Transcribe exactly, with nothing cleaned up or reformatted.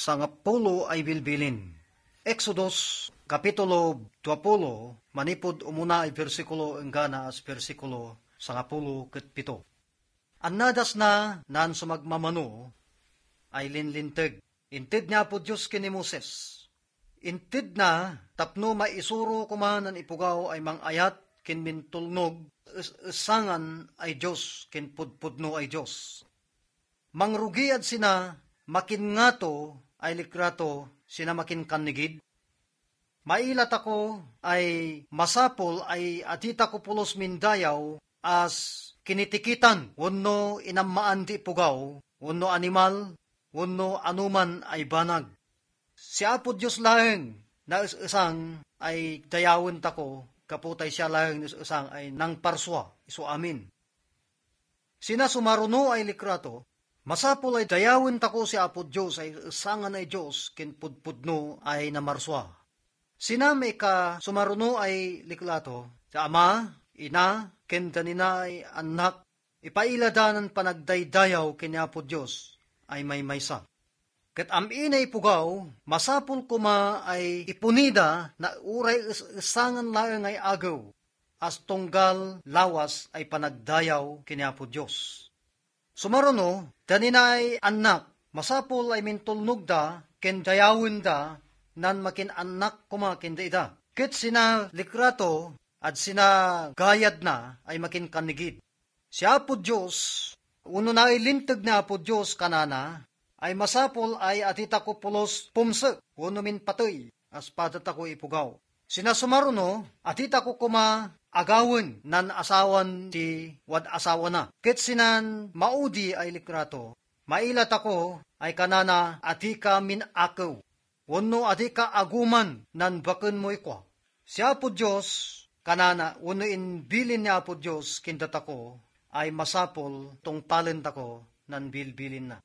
sangapulo ay bilbilin. Exodus, kapitulo duapulo, manipud umuna ay bersikulo enggana as bersikulo sangapulo ket pito. Annadasna nan sumagmamano ay linlinteg. Inted ni Apo Dios ken ni Moses. Intedna tapno maisuro koma nan ipugaw ay mangayat ken mintulnog, es-esangan ay Dios ken pudpudno ay Dios. Mangrugiad sina, makin ngato ay likrato, sina makin kannigid. Mailatako ay masapul ay aditako pulos mindayaw as kinitikitan wenno inammaan ti ipugaw wenno animal wenno anoman ay banag. Si Apo Dios laeng naes-esang ay dayawentako, gapu tay siya laeng naes-esang ay nangparsua isu amin. Sina sumaruno ay likrato, masapul ay dayawentako si Apo Dios ay esangan ay Dios ken pudpudno ay namarsua. Sina maikasumaruno ay likrato, ti ama, ina, ken danina ay annak, ipailadanan panagdaydayaw ken ni Apo Dios ay maymaysa. Ket am-ina ipugaw, masapul koma ay ipunida na uray es-esangan laeng ay agew, as tunggal lawas ay panagdayaw ken ni Apo Dios. Sumaruno, danina ay annak, masapul ay mintulnogda ken dayawenda nan makin-annak koma ken daida. Ket sina likrato, ad sina gayadna ay makin kannigid. Si Apo Dios, wenno nailinteg ni Apo Dios kanana, ay masapul ay aditako pulos pumsek wenno minpatey, as padatako ipugaw. Sina sumaruno, aditako koma agawen nan asawan ti wad-asawana. Ket sinan maudi ay likrato, mailatako ay kanana adika min-akew, wenno adika aguman nan bakenmo ikua. Si Apo Dios, kanana, wenno imbilin ni Apo Dios ken datako, ay masapul tungpalentako nan bilbilinna.